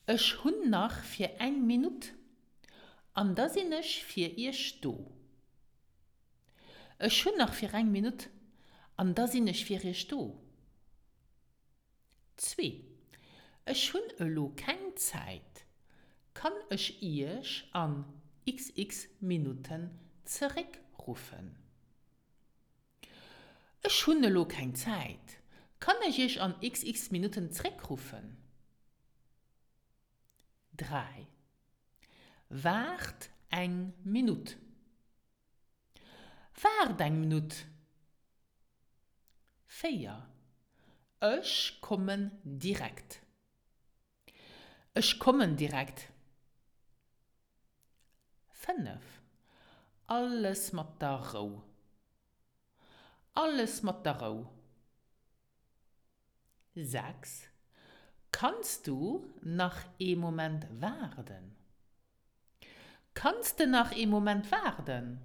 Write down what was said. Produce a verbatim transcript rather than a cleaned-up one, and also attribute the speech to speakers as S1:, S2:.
S1: Ech hunn nach fir eng Minutt, an da sinn ech fir Iech do. Ech hunn nach fir eng Minutt, an da sinn ech fir Iech do. Zwee. Ech hunn elo keng Zäit. Kann ech Iech an X X Minutten zeréckruffen? Ech hunn elo keng Zäit. Kann ech Iech an X X Minutten zeréckruffen? Dräi. Waart eng Minutt. Waart eng Minutt. Véier. Ech kommen direkt. Ech kommen direkt. Fënnef. Alles mat der Rou. Alles mat der Rou. Sechs. Kanns du nach ee Moment waarden? Kanns de nach ee Moment waarden?